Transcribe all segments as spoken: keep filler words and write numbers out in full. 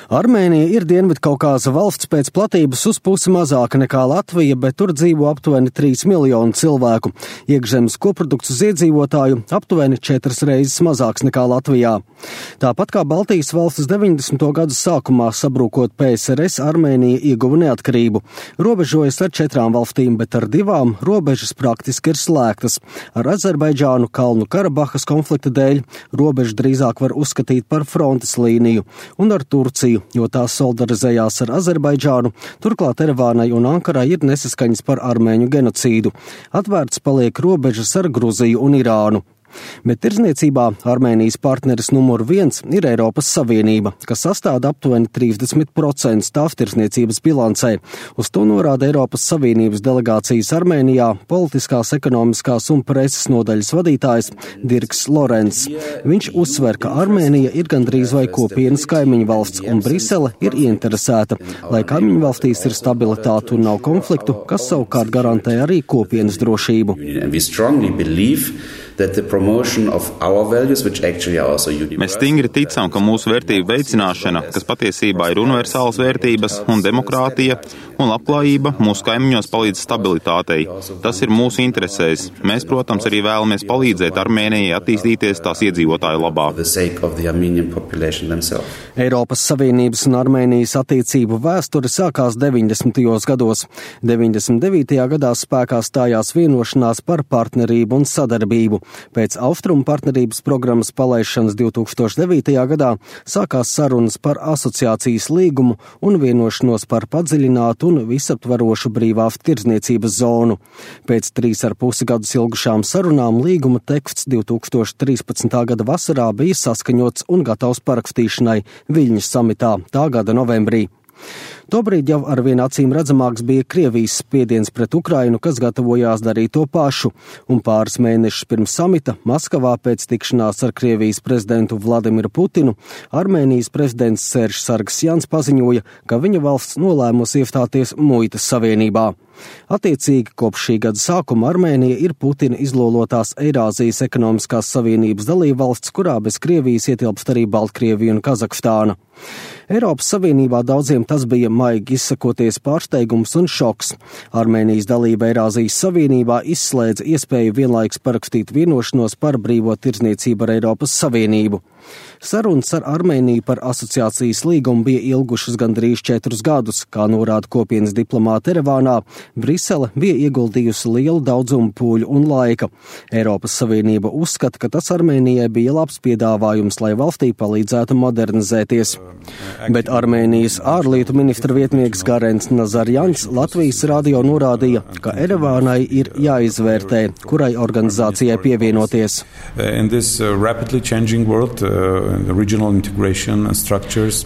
Armēnija ir Dienvidkaukāza valsts pēc platības uz pusi mazāka nekā Latvija, bet tur dzīvo aptuveni trīs miljoni cilvēku. Iekšzemes koprodukts uz iedzīvotāju aptuveni četras reizes mazāks nekā Latvijā. Tāpat kā Baltijas valstis deviņdesmito gadu sākumā sabrūkot P S R S, Armēnija ieguva neatkarību. Robežojas ar četrām valstīm, bet ar divām robežas praktiski ir slēgtas. Ar Azerbaidžānu Kalnu Karabahas konflikta dēļ robežu drīzāk var uzskatīt par frontes līniju, un ar Turciju, jo tās solidarizējās ar Azerbaidžānu, turklāt Erevānai un Ankarai ir nesaskaņas par armēņu genocīdu. Atvērts paliek robežas ar Gruziju un Irānu. Bet tirdzniecībā Armēnijas partneris numur viens ir Eiropas Savienība, kas sastāda aptuveni trīsdesmit procentus tāvtirdzniecības bilancē. Uz to norāda Eiropas Savienības delegācijas Armēnijā politiskās, ekonomiskās un preses nodaļas vadītājs Dirks Lorents. Viņš uzsver, ka Armēnija ir gandrīz vai kopienas kaimiņu valsts, un Brisele ir ieinteresēta, lai kaimiņu valstīs ir stabilitāte un nav konfliktu, kas savukārt garantē arī kopienas drošību. Mēs stingri ticam, ka mūsu vērtību veicināšana, kas patiesībā ir universālas vērtības un demokrātija un labklājība, mūsu kaimiņos palīdz stabilitātei. Tas ir mūsu interesēs. Mēs, protams, arī vēlamies palīdzēt Armēnijai attīstīties tās iedzīvotāju labā. Eiropas Savienības un Armēnijas attiecību vēsture sākās deviņdesmitajos gados. deviņdesmit devītajā gadā spēkā stājās vienošanās par partnerību un sadarbību. Pēc Austrumu partnerības programmas palaišanas divtūkstoš devītajā gadā sākās sarunas par asociācijas līgumu un vienošanos par padziļinātu un visaptvarošu brīvās tirdzniecības zonu. Pēc trīs ar pusi gadus ilgušām sarunām līguma teksts divtūkstoš trīspadsmitā gada vasarā bija saskaņots un gatavs parakstīšanai Viļņas samitā tā gada novembrī. Tobrīd jau arvien acīm redzamāks bija Krievijas spiediens pret Ukrainu, kas gatavojās darīt to pašu, un pāris mēnešus pirms samita Maskavā pēc tikšanās ar Krievijas prezidentu Vladimiru Putinu Armēnijas prezidents Seržs Sargsjans paziņoja, ka viņa valsts nolēmusi iestāties muitas savienībā. Attiecīgi, kopš šī gada sākuma Armēnija ir Putina izlolotās Eirāzijas ekonomiskās savienības dalībvalsts, kurā bez Krievijas ietilpst arī Baltkrievija un Kazahstāna. Eiropas Savienībā daudziem tas bija maigi izsakoties pārsteigums un šoks. Armēnijas dalība Eirāzijas Savienībā izslēdza iespēju vienlaikus parakstīt vienošanos par brīvo tirdzniecību ar Eiropas Savienību. Sarunas ar Armēniju par asociācijas līgumu bija ilgušas gandrīz četrus gadus, kā norāda kopienas diplomāti Erevānā. Brisele bija ieguldījusi lielu daudzumu pūļu un laika. Eiropas Savienība uzskata, ka tas Armēnijai bija labs piedāvājums, lai valstī palīdzētu modernizēties. Bet Armēnijas ārlietu ministra vietnieks Garens Nazarjans Latvijas radio norādīja, ka Erevānai ir jāizvērtē, kurai organizācijai pievienoties.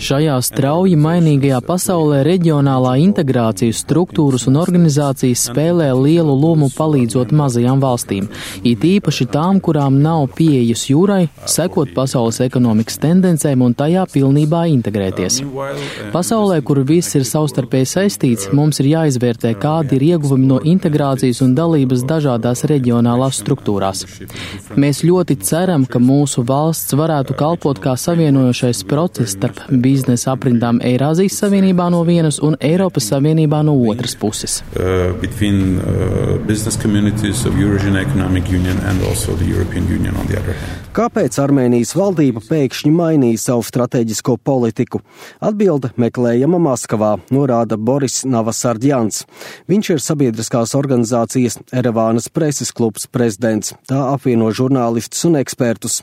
Šajā strauji mainīgajā pasaulē reģionālā integrācijas struktūras un organizācijas spēlē lielu lomu palīdzot mazajām valstīm, it īpaši tām, kurām nav pieejas jūrai, sekot pasaules ekonomikas tendencēm un tajā pilnībā integrēties. Pasaulē, kur viss ir savstarpēji saistīts, mums ir jāizvērtē, kādi ir ieguvumi no integrācijas un dalības dažādās reģionālās struktūrās. Mēs ļoti ceram, ka mūsu valsts varētu kalpot kā savienojošais process starp biznesa aprindām Eirāzijas Savienībā no vienas un Eiropas Savienībā no otras puses. Uh, between, uh, business communities of Eurasian Economic Union and also the European Union on the other hand. Kāpēc Armēnijas valdība pēkšņi mainīja savu strateģisko politiku? Atbilde meklējama Maskavā, norāda Boris Navasardjans. Viņš ir sabiedriskās organizācijas Erevānas preses klubs prezidents. Tā apvieno žurnālistus un ekspertus.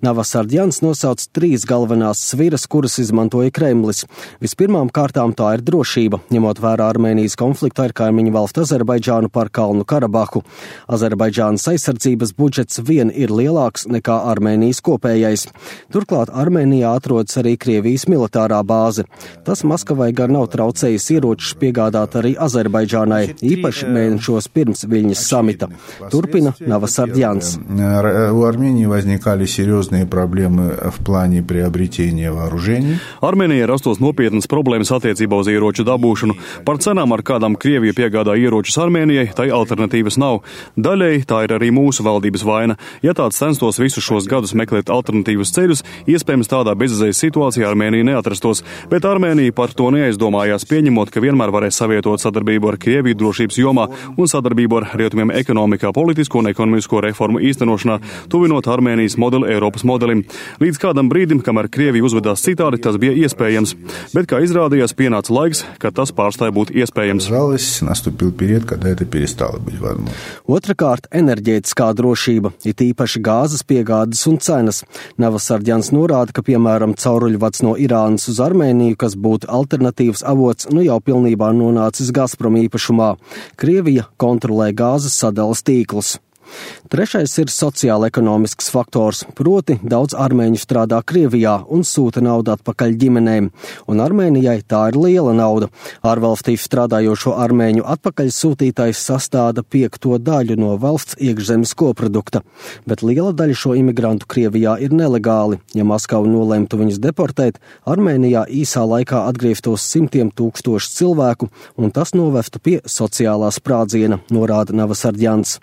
Navasardjans nosauc trīs galvenās sviras, kuras izmantoja Kremlis. Vispirmām kārtām tā ir drošība, ņemot vērā Armēnijas konfliktu ar kaimiņu valstu Azerbaidžānu par Kalnu Karabahu. Azerbaidžānas aizsardzības budžets vien ir lielāks nekā Armēnijas kopējais. Turklāt Armēnijā atrodas arī Krievijas militārā bāze. Tas Maskavai gar nav traucējis ieročus piegādāt arī Azerbaidžānai, īpaši mēnešos pirms Viļņas samita. Turpina Navasardjans. У Армении возникали серьезные проблемы в плане приобретения вооружений. Armēnijai rastos nopietnas problēmas attiecībā uz ieroču dabūšanu. Par cenām, ar kādām Krievija piegādā ieročus Armēnijai, tai alternatīvas nav. Daļēji tā ir arī mūsu valdības vaina. Ja tāds censtos visu šo turpmākos gadus meklēt alternatīvus ceļus, iespējams tādā bezizējas situācijā Armēnija neatrastos, bet Armēnija par to neaizdomājās, pieņemot, ka vienmēr varēs savietot sadarbību ar Krieviju drošības jomā un sadarbību ar rietumiem ekonomikā, politisko un ekonomisko reformu īstenošanā, tuvinot Armēnijas modeli Eiropas modelim. Līdz kādam brīdim, kamēr Krievija uzvedās citādi, tas bija iespējams, bet, kā izrādījās, pienāca laiks, kad tas pārstāja būt iespējams. Otrakārt, enerģētiskā drošība, it īpaši gāzes piegādes un cenas. Navasardjans norāda, ka, piemēram, cauruļvads no Irānas uz Armēniju, kas būtu alternatīvs avots, nu jau pilnībā nonācis Gazprom īpašumā. Krievija kontrolē gāzes sadalas tīklus. Trešais ir sociāla-ekonomisks faktors, proti daudz armēņu strādā Krievijā un sūta naudu atpakaļ ģimenēm, un Armēnijai tā ir liela nauda. Ārvalstī strādājošo armēņu atpakaļsūtītais sastāda piekto daļu no valsts iekšzemes koprodukta, bet liela daļa šo imigrantu Krievijā ir nelegāli. Ja Maskava nolemtu viņus deportēt, Armēnijā īsā laikā atgrieztos simtiem tūkstošu cilvēku, un tas novestu pie sociālā sprādziena, norāda Navasardjans.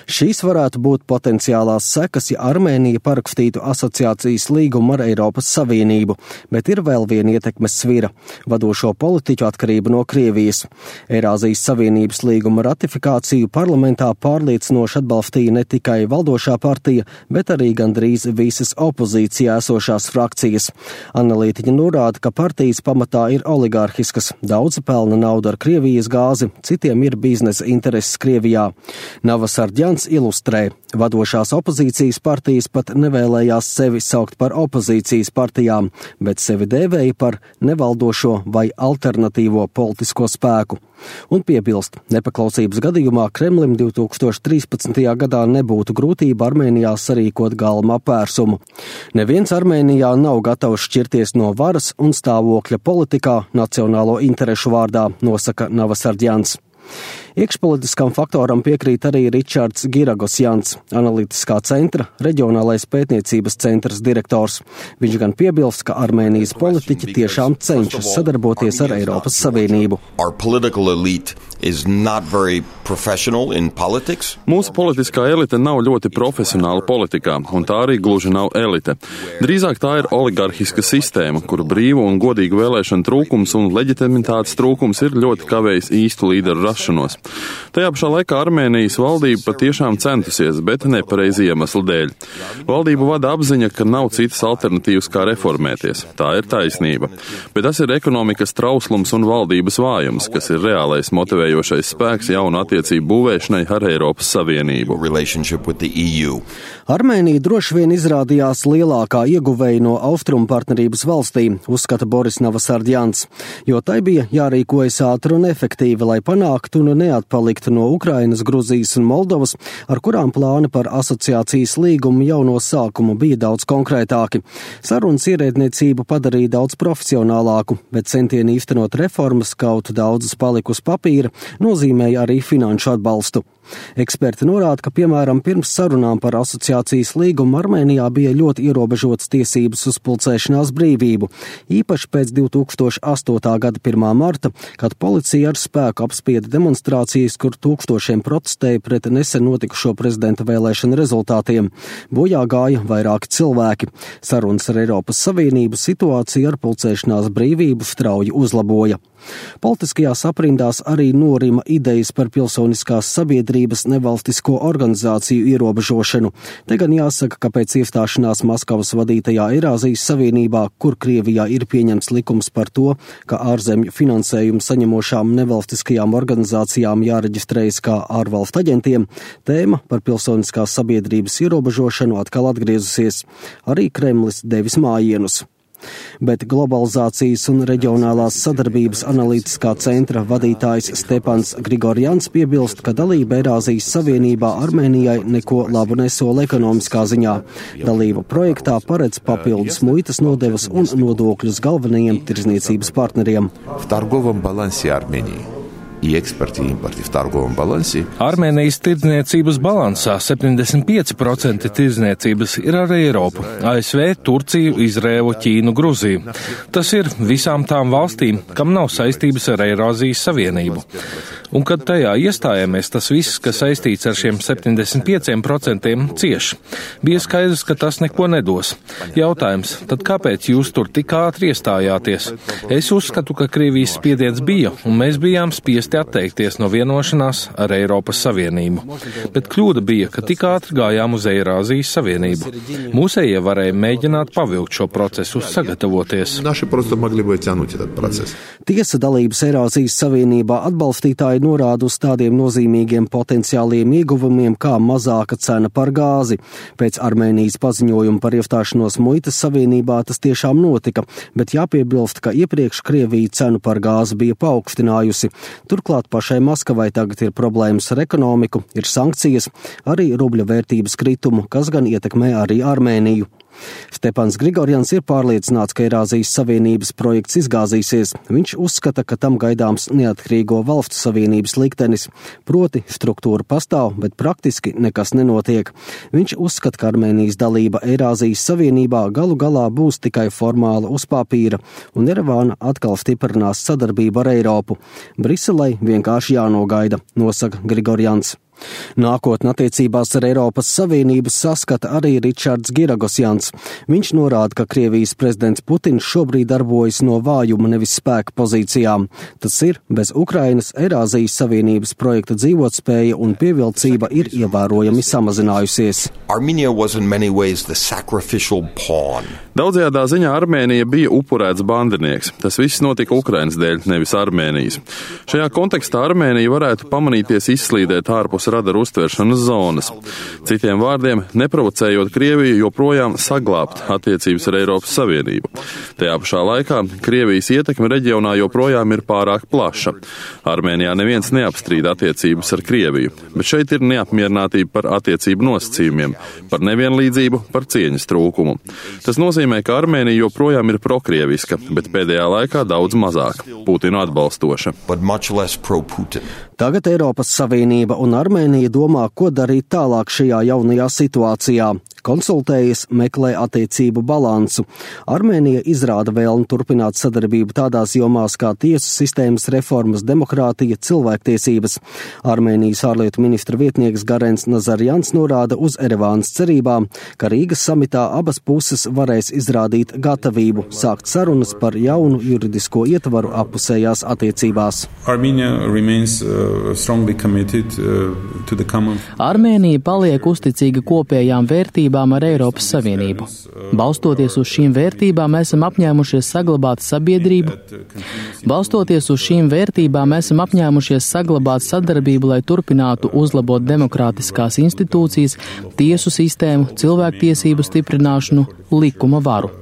Šīs varētu būt potenciālās sekas, ja Armēnija parakstītu asociācijas līgumu ar Eiropas Savienību, bet ir vēl viena ietekmes svira – vadošo politiķu atkarība no Krievijas. Eirāzijas Savienības līguma ratifikāciju parlamentā pārliecinoši atbalstīja ne tikai valdošā partija, bet arī gandrīz visas opozīcijā esošās frakcijas. Analītiķi norāda, ka partijas pamatā ir oligārhiskas, daudzi pelna naudu ar Krievijas gāzi, citiem ir biznesa intereses Krievijā. Navasardjans ilustrē. Vadošās opozīcijas partijas pat nevēlējās sevi saukt par opozīcijas partijām, bet sevi dēvēja par nevaldošo vai alternatīvo politisko spēku. Un piebilst, nepaklausības gadījumā Kremlim divi tūkstoši trīspadsmitajā gadā nebūtu grūtība Armēnijā sarīkot galma apvērsumu. Neviens Armēnijā nav gatavs šķirties no varas un stāvokļa politikā nacionālo interešu vārdā, nosaka Navasardjans. Iekšpolitiskam faktoram piekrīt arī Ričards Giragosjans, analītiskā centra reģionālais pētniecības centrs direktors. Viņš gan piebilst, ka Armēnijas politiķi tiešām cenšas sadarboties ar Eiropas Savienību. Mūsu politiskā elite nav ļoti profesionāla politikā, un tā arī gluži nav elite. Drīzāk tā ir oligarhiska sistēma, kur brīvu un godīgu vēlēšanu trūkums un leģitimitātes trūkums ir ļoti kavējis īstu līderu rašanos. Tajā pašā laikā Armēnijas valdība patiešām centusies, bet nepareizi iemeslu dēļ. Valdību vada apziņa, ka nav citas alternatīvas kā reformēties. Tā ir taisnība. Bet tas ir ekonomikas trauslums un valdības vājums, kas ir reālais motivējošais spēks jaunu attiecību būvēšanai ar Eiropas Savienību. Armēnija droši vien izrādījās lielākā ieguvēja no austrumu partnerības valstīm, uzskata Boris Navasardjans, jo tai bija jārīkojas ātri un efektīvi, lai panāktu un neatpaliktu no Ukrainas, Gruzijas un Moldovas, ar kurām plāni par asociācijas līgumu jau no sākuma bija daudz konkrētāki. Sarunas ierēdniecību padarīja daudz profesionālāku, bet centieni īstenot reformas, kaut daudzas palika uz papīra, nozīmēja arī finanšu atbalstu. Eksperti norāda, ka, piemēram, pirms sarunām par asociācijas līgumu Armēnijā bija ļoti ierobežotas tiesības uz pulcēšanās brīvību, īpaši pēc divi tūkstoši astotā gada pirmā marta, kad policija ar spēku apspieda demonstrācijas, kur tūkstošiem protestēja pret nesen notikušo prezidenta vēlēšanu rezultātiem. Bojā gāja vairāki cilvēki. Sarunas ar Eiropas Savienību situāciju ar pulcēšanās brīvību strauji uzlaboja. Politiskajās aprindās arī norima idejas par pilsoniskās sabiedrības nevalstisko organizāciju ierobežošanu. Te gan jāsaka, ka pēc iestāšanās Maskavas vadītajā Eirāzijas Savienībā, kur Krievijā ir pieņemts likums par to, ka ārzemju finansējumu saņemošām nevalstiskajām organizācijām jāreģistrējas kā ārvalstu aģentiem, tēma par pilsoniskās sabiedrības ierobežošanu atkal atgriezusies. Arī Kremlis devis mājienus. Bet globalizācijas un reģionālās sadarbības analītiskā centra vadītājs Stepans Grigorjans piebilst, ka dalība Eirāzijas Savienībā Armēnijai neko labu nesola ekonomiskā ziņā. Dalība projektā paredz papildus muitas nodevas un nodokļus galvenajiem tirdzniecības partneriem. и экспорте, и импорте в торговом балансе. Armēnijas tirdzniecības balansā septiņdesmit pieci procenti tirdzniecības ir ar Eiropu, A S V, Turciju, Izrēlu, Ķīnu, Gruziju. Tas ir visām tām valstīm, kam nav saistības ar Eirāzijas Savienību. Un kad tajā iestājāmies, tas viss, kas saistīts ar šiem septiņdesmit pieciem procentiem, cieš. Bija skaidrs, ka tas neko nedos. Jautājums, tad kāpēc jūs tur tik ātri iestājāties? Es uzskatu, ka Krievijas spiediens bija, un mēs bijām spiesti atteikties no vienošanās ar Eiropas Savienību. Bet kļūda bija, ka tik ātri gājām uz Eirāzijas Savienību. Mūsējie varēja mēģināt pavilkt šo procesu, sagatavoties. Tiesa dalības Eirāzijas Savienībā atbalstītāji norāda uz tādiem nozīmīgiem potenciāliem ieguvumiem kā mazāka cena par gāzi. Pēc Armēnijas paziņojuma par iestāšanos muitas savienībā tas tiešām notika, bet jāpiebilst, ka iepriekš Krievija cenu par gāzi bija paaugstinājusi. Turklāt pašai Maskavai tagad ir problēmas ar ekonomiku, ir sankcijas, arī rubļa vērtības kritumu, kas gan ietekmē arī Armēniju. Stepans Grigorjans ir pārliecināts, ka Eirāzijas Savienības projekts izgāzīsies. Viņš uzskata, ka tam gaidāms neatkarīgo valstu savienības liktenis. Proti, struktūra pastāv, bet praktiski nekas nenotiek. Viņš uzskata, ka Armēnijas dalība Eirāzijas Savienībā galu galā būs tikai formāla uz papīra, un Erevāna atkal stiprinās sadarbību ar Eiropu. Briselei vienkārši jānogaida, nosaka Grigorjans. Nākotnē attiecībās ar Eiropas Savienību saskata arī Ričards Giragosjans. Viņš norāda, ka Krievijas prezidents Putins šobrīd darbojas no vājuma, nevis spēka pozīcijām. Tas ir, bez Ukrainas Eirāzijas Savienības projekta dzīvotspēja un pievilcība ir ievērojami samazinājusies. Daudzajādā ziņā Armēnija bija upurēts bandinieks. Tas viss notika Ukrainas dēļ, nevis Armēnijas. Šajā kontekstā Armēnija varētu pamanīties izslīdēt ārpus radaru uztveršanas zonas. Citiem vārdiem, neprovocējot Krieviju joprojām saglābt attiecības ar Eiropas Savienību. Tajā pašā laikā Krievijas ietekme reģionā joprojām ir pārāk plaša. Armēnijā neviens neapstrīd attiecības ar Krieviju, bet šeit ir neapmierinātība par attiecību nosacījumiem, par nevienlīdzību, par cieņas trūkumu. Tas nozīmē, ka Armēnija joprojām ir prokrieviska, bet pēdējā laikā daudz mazāk Putinu atbalstoša. Tagad Eiropas Savienība un Armēnija domā, ko darīt tālāk šajā jaunajā situācijā. Konsultējas, meklē attiecību balansu. Armēnija izrāda vēlmi turpināt sadarbību tādās jomās kā tiesu sistēmas reformas, demokrātija, cilvēktiesības. Armēnijas ārlietu ministra vietnieks Garens Nazarjans norāda uz Erevānas cerībām, ka Rīgas samitā abas puses varēs izrādīt gatavību sākt sarunas par jaunu juridisko ietvaru appusējās attiecībās. Remains, uh, committed, uh, common... Armēnija paliek uzticīga kopējām vērtībām ar Eiropas Savienību. Balstoties uz šīm vērtībām, esam apņēmušies saglabāt sabiedrību. Balstoties uz šīm vērtībām, esam apņēmušies saglabāt sadarbību, lai turpinātu uzlabot demokrātiskās institūcijas, tiesu sistēmu, cilvēktiesību stiprināšanu, likuma varu.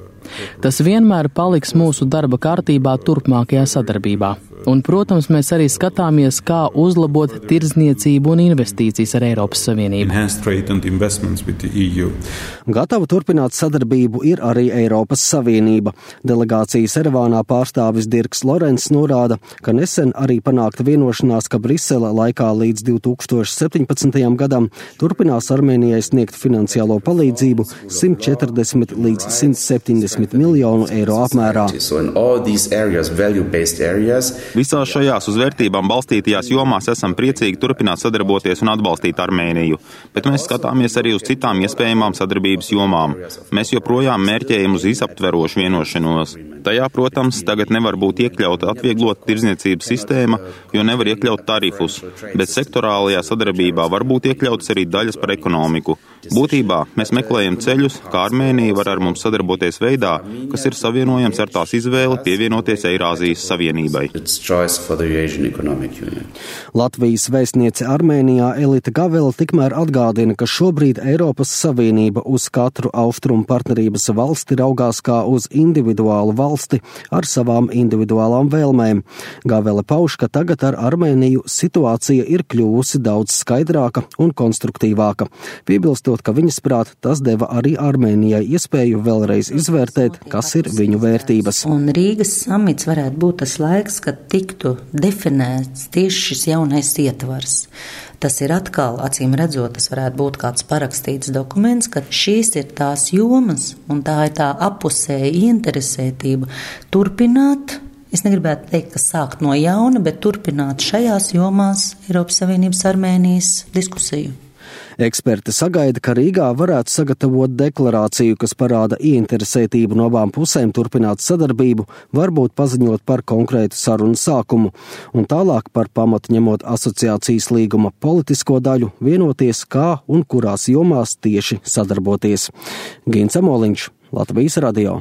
Tas vienmēr paliks mūsu darba kārtībā turpmākajā sadarbībā. Un, protams, mēs arī skatāmies, kā uzlabot tirdzniecību un investīcijas ar Eiropas Savienību. Gatava turpināt sadarbību ir arī Eiropas Savienība. Delegācijas Erevānā pārstāvis Dirks Lorents norāda, ka nesen arī panākta vienošanās, ka Brisele laikā līdz divi tūkstoši septiņpadsmitajam gadam turpinās Armēnijai sniegt finansiālo palīdzību simt četrdesmit līdz simt septiņdesmit miljonu eiro apmērā. Visās šajās uz vērtībām balstītajās jomās esam priecīgi turpināt sadarboties un atbalstīt Armēniju, bet mēs skatāmies arī uz citām iespējamām sadarbības jomām. Mēs joprojām mērķējam uz visaptverošu vienošanos. Tajā, protams, tagad nevar būt iekļauta atvieglota tirdzniecības sistēma, jo nevar iekļaut tarifus, bet sektorālajā sadarbībā var būt iekļautas arī daļas par ekonomiku. Būtībā mēs meklējam ceļus, kā Armēnija var ar mums sadarboties veidā, kas ir savienojams ar tās izvēli pievienoties Eirāzijas Savienībai. Latvijas vēstniece Armēnijā Elita Gavela tikmēr atgādina, ka šobrīd Eiropas Savienība uz katru austrumu partnerības valsti raugās kā uz individuālu valsti, valsti ar savām individuālām vēlmēm. Gavele pauž, ka tagad ar Armēniju situācija ir kļuvusi daudz skaidrāka un konstruktīvāka, piebilstot, ka viņas prāt tas deva arī Armēnijai iespēju vēlreiz izvērtēt, kas ir viņu vērtības. Un Rīgas samits varētu būt tas laiks, kad tiktu definēts tieši šis jaunais ietvars. Tas ir atkal, acīm redzot, tas varētu būt kāds parakstīts dokuments, ka šīs ir tās jomas un tā ir tā apusēja interesētība turpināt. Es negribētu teikt, ka sākt no jauna, bet turpināt šajās jomās Eiropas Savienības Armēnijas diskusiju. Eksperti sagaida, ka Rīgā varētu sagatavot deklarāciju, kas parāda ieinteresētību no abām pusēm turpināt sadarbību, varbūt paziņot par konkrētu sarunu sākumu, un tālāk par pamatu ņemot asociācijas līguma politisko daļu, vienoties, kā un kurās jomās tieši sadarboties. Gins Amoliņš, Latvijas radio.